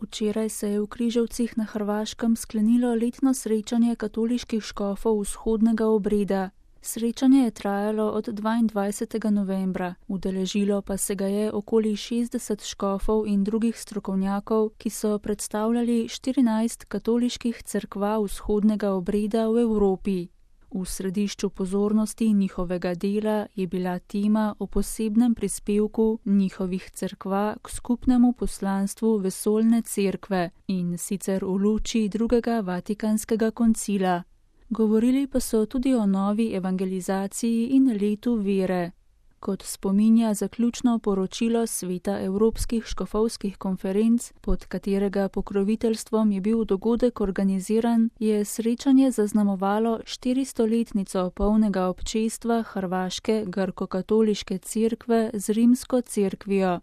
Včeraj se je v Križevcih na Hrvaškem sklenilo letno srečanje katoliških škofov vzhodnega obreda. Srečanje je trajalo od 22. novembra, udeležilo pa se ga je okoli 60 škofov in drugih strokovnjakov, ki so predstavljali 14 katoliških cerkva vzhodnega obreda v Evropi. V središču pozornosti njihovega dela je bila tema o posebnem prispevku njihovih cerkva k skupnemu poslanstvu vesoljne cerkve, in sicer v luči drugega Vatikanskega koncila. Govorili pa so tudi o novi evangelizaciji in letu vere. Kot spominja zaključno poročilo Sveta Evropskih škofovskih konferenc, pod katerega pokroviteljstvom je bil dogodek organiziran, je srečanje zaznamovalo 400-letnico polnega občestva hrvaške grkokatoliške cerkve z rimsko cerkvijo.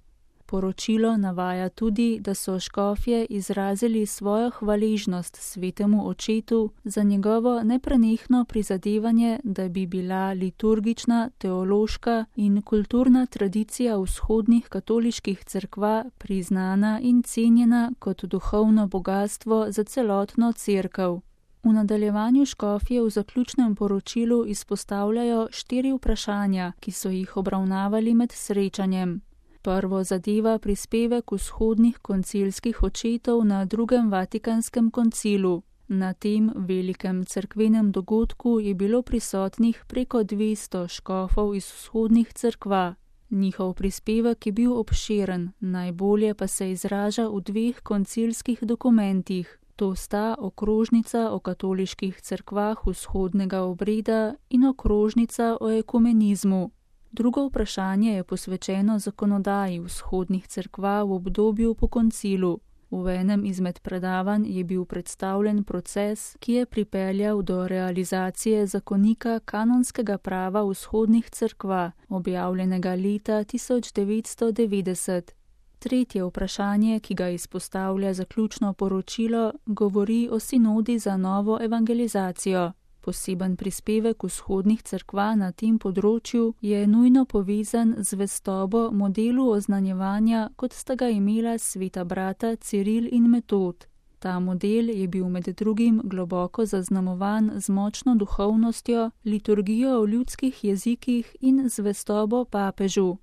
Poročilo navaja tudi, da so škofje izrazili svojo hvaležnost svetemu očetu za njegovo neprenehno prizadevanje, da bi bila liturgična, teološka in kulturna tradicija vzhodnih katoliških cerkva priznana in cenjena kot duhovno bogatstvo za celotno cerkev. V nadaljevanju škofje v zaključnem poročilu izpostavljajo 4 vprašanja, ki so jih obravnavali med srečanjem. Prvo zadeva prispevek vzhodnih koncilskih očetov na drugem Vatikanskem koncilu. Na tem velikem cerkvenem dogodku je bilo prisotnih preko 200 škofov iz vzhodnih cerkva. Njihov prispevek je bil obširen, najbolje pa se izraža v 2 koncilskih dokumentih. To sta okrožnica o katoliških cerkvah vzhodnega obreda in okrožnica o ekumenizmu. Drugo vprašanje je posvečeno zakonodaji vzhodnih cerkva v obdobju po koncilu. V enem izmed predavanj je bil predstavljen proces, ki je pripeljal do realizacije zakonika kanonskega prava vzhodnih cerkva, objavljenega leta 1990. Tretje vprašanje, ki ga izpostavlja zaključno poročilo, govori o sinodi za novo evangelizacijo. Poseben prispevek vzhodnih cerkva na tem področju je nujno povezan z zvestobo modelu oznanjevanja, kot sta ga imela sveta brata Ciril in Metod. Ta model je bil med drugim globoko zaznamovan z močno duhovnostjo, liturgijo v ljudskih jezikih in zvestobo papežu.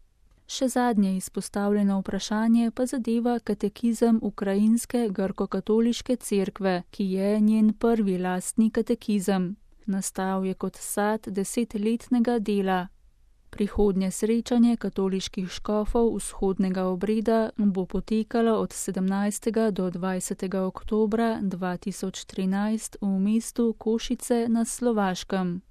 Še zadnje izpostavljeno vprašanje pa zadeva katekizem ukrajinske grkokatoliške cerkve, ki je njen prvi lastni katekizem. Nastal je kot sad 10-letnega dela. Prihodnje srečanje katoliških škofov vzhodnega obreda bo potekalo od 17. do 20. oktobra 2013 v mestu Košice na Slovaškem.